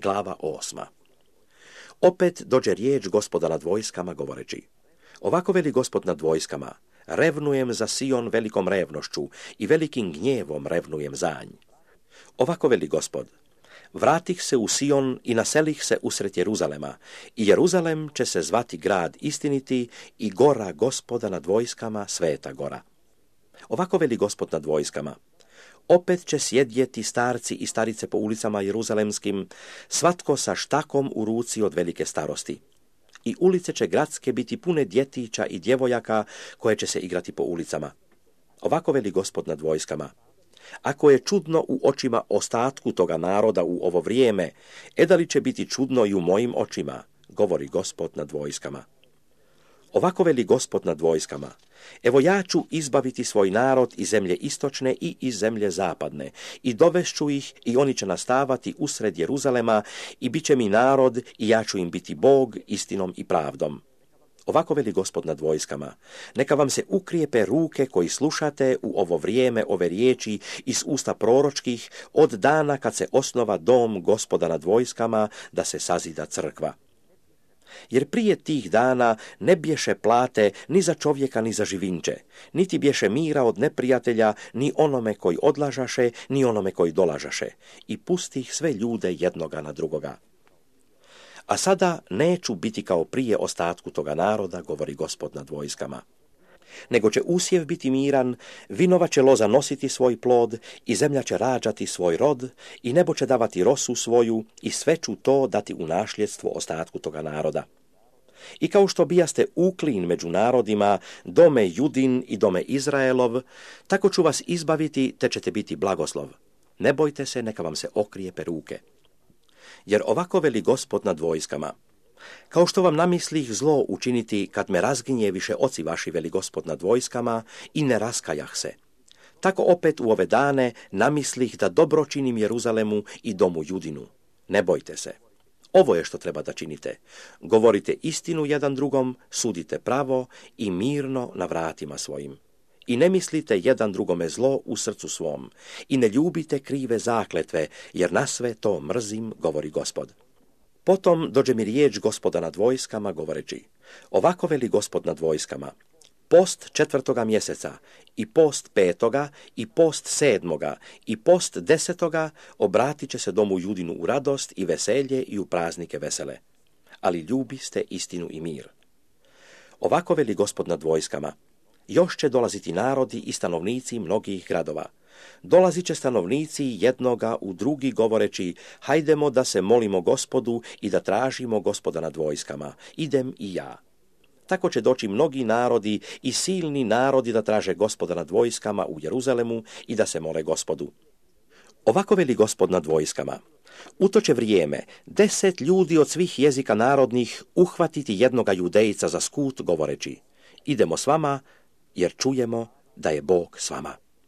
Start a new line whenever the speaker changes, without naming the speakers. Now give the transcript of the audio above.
Glava 8. Opet dođe riječ Gospoda nad vojskama govoreći: Ovako veli Gospod nad vojskama: Revnujem za Sion velikom revnošću i velikim gnjevom revnujem za nj. Ovako veli Gospod: Vratih se u Sion i naselih se usred Jeruzalema, i Jeruzalem će se zvati grad istiniti i gora Gospoda nad vojskama, sveta gora. Ovako veli Gospod nad vojskama: Opet će sjedjeti starci i starice po ulicama jeruzalemskim, svatko sa štakom u ruci od velike starosti. I ulice će gradske biti pune djetića i djevojaka koje će se igrati po ulicama. Ovako veli Gospod nad vojskama: Ako je čudno u očima ostatku toga naroda u ovo vrijeme, da li će biti čudno i u mojim očima, govori Gospod nad vojskama. Ovako veli Gospod nad vojskama: Evo ja ću izbaviti svoj narod iz zemlje istočne i iz zemlje zapadne, i dovešću ih i oni će nastavati usred Jeruzalema i bit će mi narod i ja ću im biti Bog istinom i pravdom. Ovako veli Gospod nad vojskama: Neka vam se ukrijepe ruke koji slušate u ovo vrijeme ove riječi iz usta proročkih od dana kad se osnova dom Gospoda nad vojskama da se sazida crkva. Jer prije tih dana ne bješe plate ni za čovjeka ni za živinče, niti bješe mira od neprijatelja ni onome koji odlažaše, ni onome koji dolažaše, i pustih sve ljude jednoga na drugoga. A sada neću biti kao prije ostatku toga naroda, govori Gospod nad vojskama. Nego će usjev biti miran, vinova će loza nositi svoj plod i zemlja će rađati svoj rod i nebo će davati rosu svoju i sve ću to dati u nasljedstvo ostatku toga naroda. I kao što bijaste uklin među narodima, dome Judin i dome Izraelov, tako ću vas izbaviti te ćete biti blagoslov. Ne bojte se, neka vam se okrijepe ruke. Jer ovako veli Gospod nad vojskama: Kao što vam namislih zlo učiniti kad me razgnjeviše oci vaši, veli Gospod nad vojskama, i ne raskajah se, tako opet u ove dane namislih da dobro činim Jeruzalemu i domu Judinu. Ne bojte se. Ovo je što treba da činite. Govorite istinu jedan drugom, sudite pravo i mirno na vratima svojim. I ne mislite jedan drugome zlo u srcu svom. I ne ljubite krive zakletve, jer na sve to mrzim, govori Gospod. Potom dođe mi riječ Gospoda nad vojskama govoreći: Ovako veli Gospod nad vojskama: Post 4. mjeseca, i post 5. i post 7. i post 10. obratit će se domu Judinu u radost i veselje i u praznike vesele. Ali ljubiste istinu i mir. Ovako veli Gospod nad vojskama: Još će dolaziti narodi i stanovnici mnogih gradova. Dolazit će stanovnici jednoga u drugi govoreći: Hajdemo da se molimo Gospodu i da tražimo Gospoda nad vojskama. Idem i ja. Tako će doći mnogi narodi i silni narodi da traže Gospoda nad vojskama u Jeruzalemu i da se mole Gospodu. Ovako veli Gospod nad vojskama: U to će vrijeme 10 ljudi od svih jezika narodnih uhvatiti jednoga judejca za skut govoreći: Idemo s vama, jer čujemo da je Bog s vama.